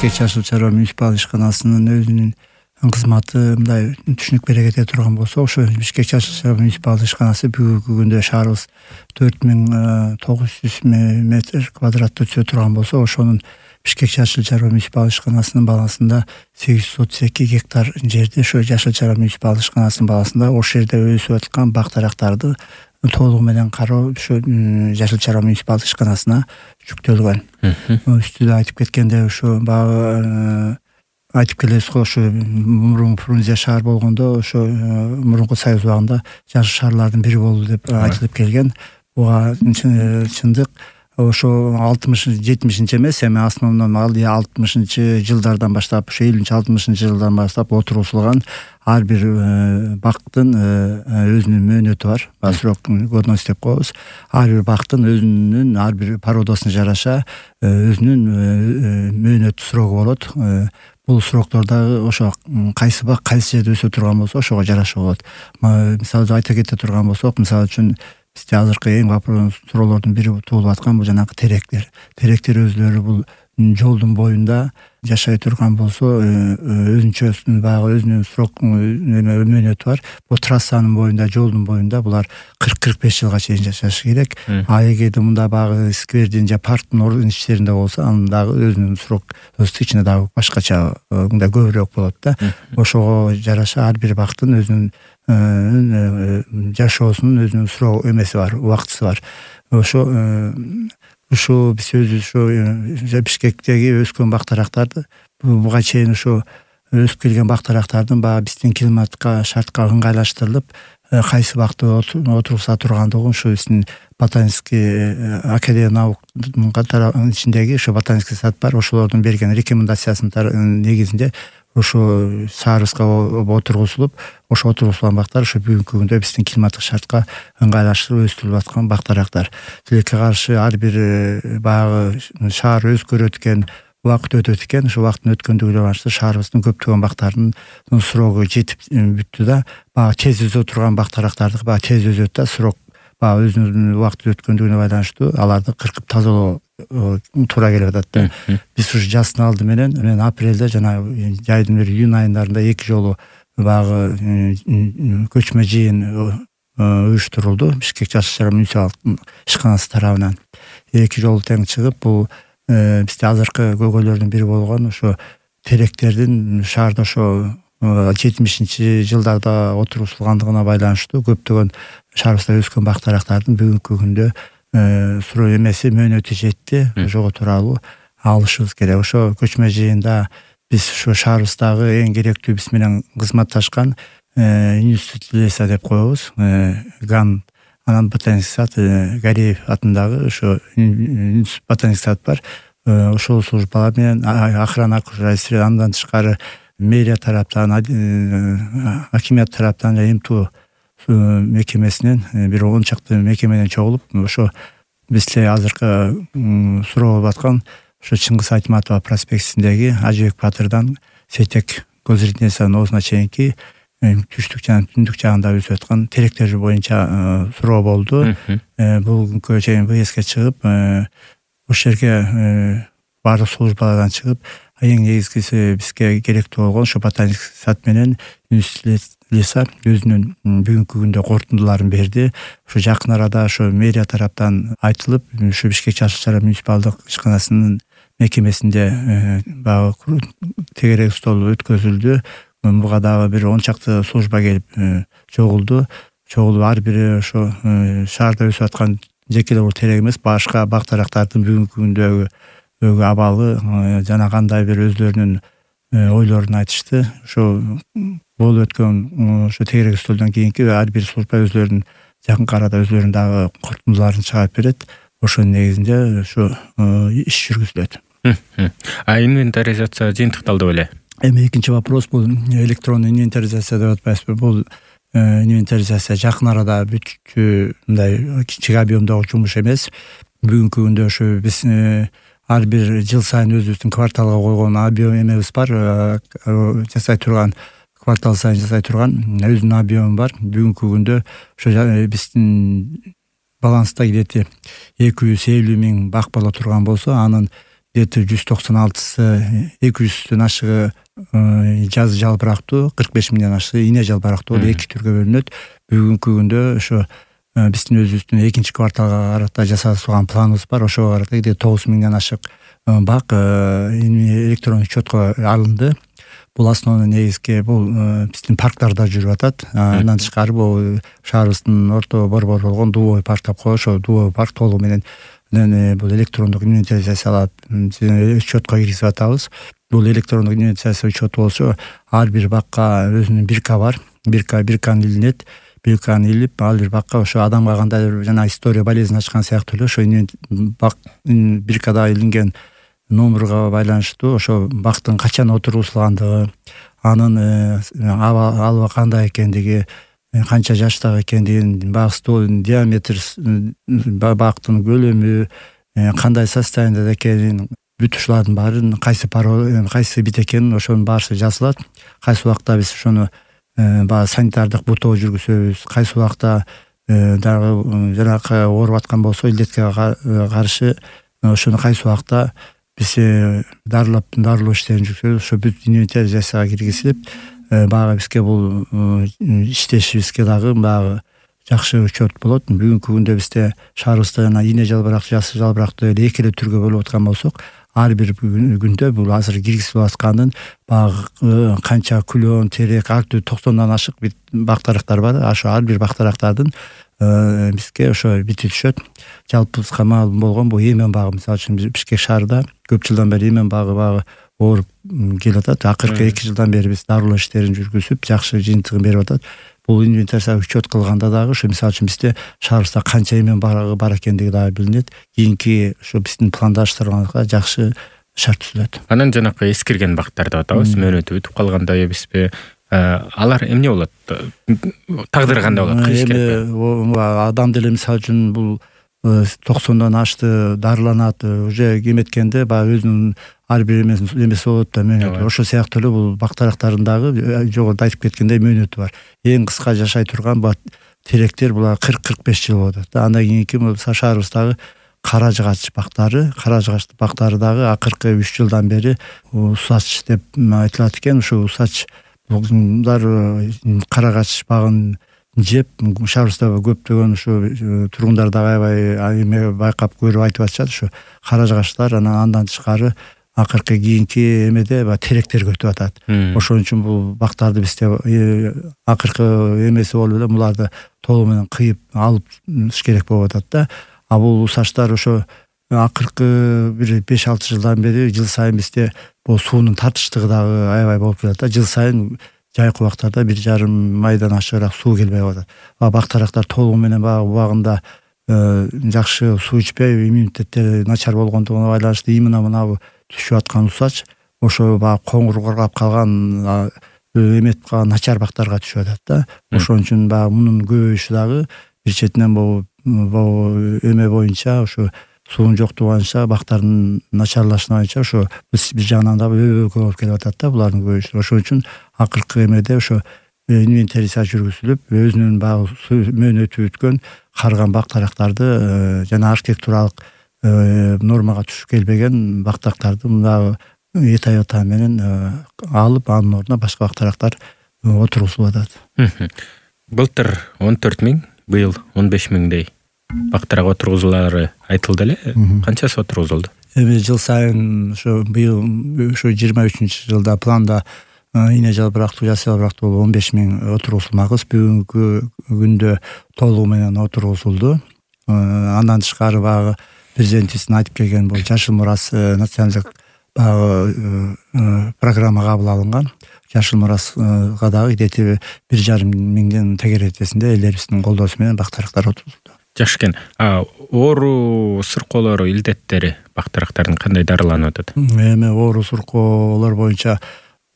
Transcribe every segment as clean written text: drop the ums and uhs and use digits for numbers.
Бишкек Жашыл Чарба муниципалдык ишканасынын өзүнүн кызматы мындай түшүнүк берекете турган болсо, ошо Бишкек Жашыл Чарба муниципалдык ишканасы бүгүнкү күндө шаарыбыз 4900 метр квадраттуу түзө турган болсо, ошонун Бишкек Жашыл Чарба муниципалдык ишканасынын балансында 832 гектар жерди ошо Жашыл Чарба муниципалдык ишканасынын балансында ошол жерде өсүп аткан бак-дарактарды толугу менен кароо ошо Жашыл Чарба муниципалдык ишканасына жүктөлгөн. Үстүдө айтып кеткендей, ошо баягы айтып келебиз го, ошо мурунку Фрунзе шаар болгондо, ошо мурунку Союз убагында жашыл шаарлардын бири болду деп айтылып келген. Буга чындык. Ошо 60-70 эмес, эми основном 60-жылдардан баштап, ошо 50-60 жылдан баштап отургузулган ар бир бактын өзүнүн мөөнөтү бар. Срок годность деп коебуз. Ар бир бактын өзүнүн ар бир породасына жараша өзүнүн мөөнөт срогу болот. Бул сроктордогу ошо кайсы бак кайсы жерде өсө турган болсо, ошого жараша болот. Мисалы айта кете турган болсок, мисалы үчүн бизде азыркы эң суроолордун бири туулуп аткан бул жанагы теректер. Теректер өзлөрү бул жолдун боюнда жашай турган болсо, өзүнчө баягы өзүнүн срок мөөнөтү бар. Бул трассанын боюнда, жолдун боюнда булар 40-45 жылга чейин жашашы керек. А эгерде мында баягы сквердин же парктын ичтеринде болсо, анын дагы өзүнүн срок ичинде дагы башкача мындай көбүрөөк болот да. Ошого жараша ар бир бактын өзүнүн жашоосунун өзүнүн срок эмеси бар, убактысы бар. Ошо биз өзүбүз ошо Бишкектеги өскөн бак-дарактарды буга чейин ошо өсүп келген бак-дарактардын баягы биздин климатка, шартка ыңгайлаштырылып, кайсы бакты отургуза тургандыгын ошо биздин ботанический академия науканын ичиндеги ошо ботанический сад бар, ошолордун берген рекомендациясынын негизинде ошо шаарыбызга отургузулуп, ошо отургузулган бактар ошо бүгүнкү күндө биздин климаттык шартка ыңгайлаштырылып өстүрүлүп аткан бак-дарактар. Тилекке каршы ар бир баягы шаар өзгөрөт экен, убакыт өтөт экен. Ошо убакыттын өткөндүгүнө байланыштуу шаарыбыздын көптөгөн бактарынын срогу жетип бүттү да, баягы тез өзө турган бак-дарактарды баягы тез өзөт да, срок баягы өзүнүн убакыты өткөндүгүнө байланыштуу аларды кыркып тазалоо туура келип атат да. Биз ушу жаздын алды менен апрелде жана жайдын бир июнь айындарында 2 жолу баягы көчмө жыйын уюштурулду Бишкек Жашыл Чарба муниципалдык ишканасы тарабынан. 2 жолу тең чыгып, бул бизде азыркы көйгөйлөрдүн бири болгон ошо теректердин шаарда ошо 70-жылдарда отургузулгандыгына байланыштуу көптөгөн шаарыбызда өскөн бак-дарактардын бүгүнкү күндө суроо эмеси мөөнөтү жетти. Ошого тууралуу алышыбыз керек. Ошо көчмө жыйында биз ошо шаарыбыздагы эң керектүү биз менен кызматташкан институт леса деп коебуз. ГАН, анан ботаникский сад, Гариев атындагы ошо ботаникский сад бар. Ошол службалар менен охрана окружайствия, андан тышкары мэрия тараптан, акимият тараптан жана МТУ мекемесинен бир 10 чакты мекеменен чогулуп, ошо бизде азыркы суроо болуп аткан ошо Чыңгыз Айтматова проспектисиндеги Ажыбек Батырдан Сейтек Козырдинесанын оозуна чейинки түштүк жана түндүк жагында өсүп аткан теректер боюнча суроо болду. Бүгүнкү чейин ВСке чыгып, ошол жерге баардык службалардан чыгып, эң негизгиси бизге керектүү болгон ошо ботаникский сад менен леса өзүнүн бүгүнкү күндө корутундуларын берди. Ошо жакын арада ошо мэрия тараптан айтылып, ошо Бишкек Жашыл Чарба муниципалдык ишканасынын мекемесинде баягы тегерек стол өткөзүлдү. Буга дагы бир 10 чакты служба келип чогулду. Ар бири ошо шаарда өсүп аткан жеке эле терек эмес, башка бак-дарактардын бүгүнкү күндөгү абалы жана кандай бир өзлөрүнүн ойлорун айтышты. Ошо болуп өткөн ошо тегерек столдон кийинки ар бир служба өзлөрүнүн жакынкы арада өзлөрүнүн дагы корутундуларын чыгарып берет. Ошонун негизинде ошо иш жүргүзүлөт. Инвентаризация жыйынтыкталды беле? Эми экинчи вопрос бул электронный инвентаризация деп атпайсызбы? Бул инвентаризация жакын арада бүтчү мындай кичик объемдогу жумуш эмес. Бүгүнкү күндө ошо биз ар бир жыл сайын өзүбүздүн кварталга койгон объем эмебиз бар, жасай турган квартал сайын жасай турган өзүнүн объему бар. Бүгүнкү күндө ошо биздин баланста где-то 250 миң бак боло турган болсо, анын где-то 196 200дөн ашыгы жазы жалбырактуу, 45 миңден ашыгы ийне жалбырактуу 2 түргө бөлүнөт. Бүгүнкү күндө ошо биздин өзүбүздүн экинчи кварталга карата жасап турган планыбыз бар. Ошого карата 9 миңден ашык бак электрондук учетко алынды. Бул основной негизги бул биздин парктарда жүрүп атат. Андан тышкары бул шаарыбыздын орто борбор болгон Дубовый парк деп коебуз. Ошо Дубовый парк толугу менен бул электрондук инвентаризациялап учетко киргизип атабыз. Бул электрондук инвентаризация учету болсо ар бир бакка өзүнүн бирка бар. Бирканы илинет. Бирканы илип, ал бир бакка ошо адамга кандайдыр жана история болезнь ачкан сыяктуу эле ошо бак биркада илинген номерга байланыштуу ошо бактын качан отургузулгандыгы, анын аба кандай экендиги, канча жаштагы экендигин, бак столдун диаметр, бактын көлөмү, кандай состояниеде экенин, бүт ушулардын баарын кайсы бит экенин ошонун баары жазылат. Кайсы убакта биз ошону баягы санитардык бутоо жүргүзөбүз. Кайсы убакта дагы жанакы ооруп аткан болсо илдетке каршы ошону кайсы убакта биз дарылоо иштерин жүргүзөбүз. Ошо бүт инвентаризацияга киргизилип, баягы бизге бул иштешибизге дагы баягы жакшы учет болот. Бүгүнкү күндө бизде шаарыбызда жана ийне жалбырактуу, жасы жалбырактуу эле эки эле түргө бөлүп аткан болсок, ар бир күндө бул азыр киргизилип аткандын баягы канча күлөн, терек, ар түрдүү 90дан ашык бактарактар бар. Ошо ар бир бактарактардын бизге ошо бити түшөт. Жалпыбызга маалым болгон бул Эмен багы, мисалы үчүн Бишкек шаарында көп жылдан бери Эмен багы ооруп келатат. Акыркы 2 жылдан бери биз дарылоо иштерин жүргүзүп, жакшы жыйынтыгын берип атат. Бул инвентаризация учет кылганда дагы ошо мисалы үчүн бизде шаарыбызда канча Эмен багы бар экендиги дагы билинет. Кийинки ошо биздин пландаштырганга жакшы шарт түзүлөт. Анан жанакы эскирген бактар деп атабыз, мөөнөтү бүтүп калганда эмеспи? Алар эмне болот? Тагдыры кандай болот? Адам деле мисалы үчүн бул 90дан ашты дарыланат, уже эметкенде баягы өзүнүн ар бир эмеси болот да, мөөнөтү. Ошол сыяктуу эле бул бактарактардын дагы жогоруда айтып кеткендей мөөнөтү бар. Эң кыска жашай турган теректер булар 40-45 жыл болот. Андан кийинки шаарыбыздагы кара жыгач бактары дагы акыркы 3 жылдан бери усач деп айтылат экен. Ошо усач булар карагач багын жеп, шаарыбызда көптөгөн ушу тургундар дагы аябай байкап көрүп айтып атышат. Ушу кара жыгачлар, андан тышкары акыркы кийинки эмеде теректер көтүп атат. Ошон үчүн бул бактарды бизде акыркы эмеси болуп эле буларды толугу менен кыйып алып керек болуп атат да. А бул усачтар ошо акыркы бир 5-6 жылдан бери жыл сайын бизде бул суунун тартыштыгы дагы аябай болуп келет да. Жыл сайын жайкы убактарда 1,5 майдан ашыгыраак суу келбей калат. Бактарактар толугу менен убагында жакшы суу ичпей, иммунитеттери начар болгондугуна байланыштуу именно түшүп аткан усач ошо коңур коргап калган эметип калган начар бактарга түшүп атат да. Ошон үчүн мунун көбөйүшү дагы бир четинен бул эме боюнча ошо суунун жоктугу боюнча бактардын начарлашына боюнча ошо бир жагынан да көп болуп келип атат да булардын көбөйүшү. Ошон үчүн акыркы эмеде ошо инвентаризация жүргүзүлүп, өзүнүн мөөнөтү бүткөн карган бактарактарды жана архитектуралык нормага түшүп келбеген бактарактарды мына этажа менен алып, анын ордуна башка бактарактар отургузулуп атат. Былтыр 14 миң, быйыл 15 миңдей бактарак отургузуулары айтылды эле. Канчасы отургузулду? Эми жыл сайын ошо быйыл ошо 23-жылда планда ийне жалбырактуу, жас жалбырактуу 15 миң отургузулмакбыз. Бүгүнкү күндө толугу менен отургузулду. Андан тышкары баягы президентибиздин айтып келген бул Жашыл мурас националдык программа кабыл алынган. Жашыл мурасга дагы где-то 1,5 миңден тегеретесинде элдерибиздин колдоосу менен бактарактар отурулду. Жакшы экен. Оору сыркоолору, илдеттери бактарактардын кандай дарыланып атат? Эми оору сыркоолор боюнча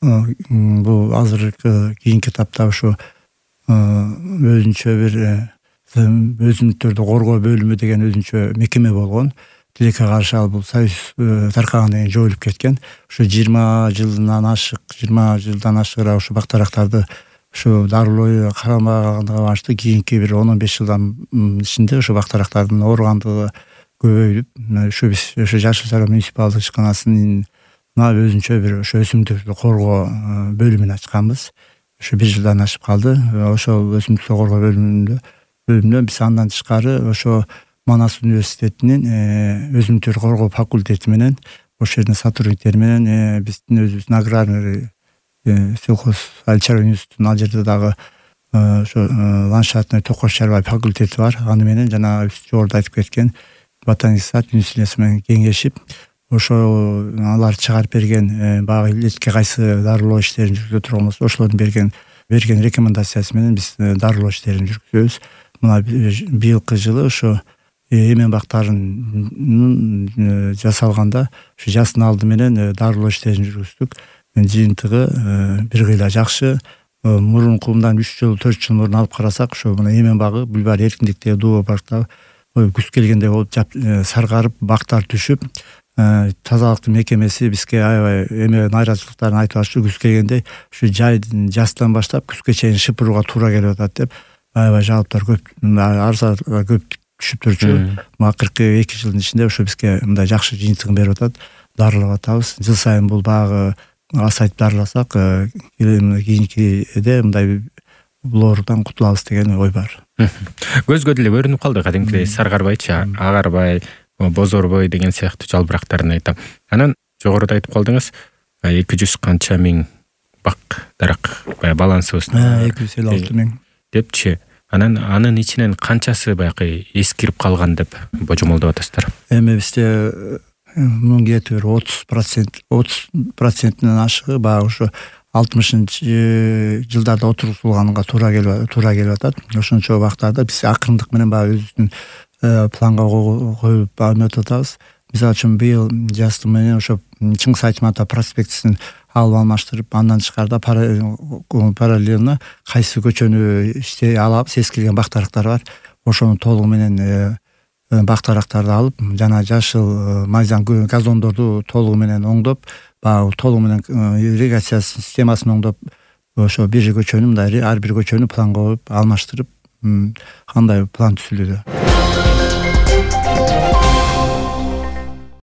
бул азыркы кийинки этапта ошо өзүнчө бир өсүмдүктөрдү коргоо бөлүмү деген өзүнчө мекеме болгон. Тилекке каршы бул союз таркагандан кийин жоюлуп кеткен. Ошо 20 жылдан ашыгыраак ошо бактарактарды ошо дарылоо карамагандыгына байланыштуу кийинки бир 10-15 жылдан ичинде ошо бактарактардын ооругандыгы көбөйүп ушу биз ошо Жашыл Чарба муниципалдык ишканасынын өзүнчө бир ошо өсүмдүктү коргоо бөлүмүн ачканбыз. Ошо 1 жылдан ашып калды. Ошол өсүмдүктү коргоо бөлүмүндө биз андан тышкары ошо Манас университетинин өсүмдүктөрдү коргоо факультети менен ошол жердин сотрудниктери менен биздин өзүбүздүн аграрный сельхоз айыл чарба институтунун ал жерде дагы ошо ландшафтный токош чарба факультети бар. Аны менен жана жогоруда айтып кеткен ботаник сад институциясы менен кеңешип, ошо алар чыгарып берген баягы илетке кайсы дарылоо иштерин жүргүзө турган болсо, ошолордун берген рекомендациясы менен биз дарылоо иштерин жүргүзөбүз. Мына быйылкы жылы ошо эмен бактарын жасалганда ушу жаздын алды менен дарылоо иштерин жүргүздүк. Жыйынтыгы бир кыйла жакшы. Мурункундан 3 жыл 4 жыл мурун алып карасак, ошо мына эмен багы Бүлбар эркиндиктеги дуу паркта күз келгенде болуп саргарып, бактар түшүп, тазалыктын мекемеси бизге аябай нааразычылыктарын айтып атышты. Күз келгенде ушу жаздан баштап күзгө чейин шыпырууга туура келип атат деп аябай жалоптор көп, арыздар көп түшүп турчу. Акыркы 2 жылдын ичинде ошо бизге мындай жакшы жыйынтыгын берип атат. Дарылап атабыз. Жыл сайын бул багы асайтып дарыласак, кийинкиде мындай бул оорудан кутулабыз деген ой бар. Көзгө деле көрүнүп калды кадимкидей саргарбайчы, агарбай, бозорбой деген сыяктуу жалбырактарын айтам. Анан жогоруда айтып калдыңыз 200 канча миң бак дарак балансыбыз 256 миң депчи. Анын ичинен канчасы баягы эскирип калган деп божомолдоп атасыздар? Эми бизде мунун где-то 30%-тен ашыгы баягы ушу 60-жылдарда отургузулганга туура келип атат. Ошончо убактарда биз акырындык менен баягы өзүбүздүн планга коюп эметип атабыз. Мисалы үчүн быйыл жазды менен ошо Чыңгыз Айтматов проспектисин алып алмаштырып, андан тышкарыда параллельно кайсы көчөнү алабыз, эскирген бактарактар бар. Ошону толугу менен бактарактарды алып, жана жашыл майзан газондорду толугу менен оңдоп, баягы толугу менен ирригация системасын оңдоп, ошо бир көчөнү мындай ар бир көчөнү планга коюп алмаштырып, кандай план түзүлүүдө.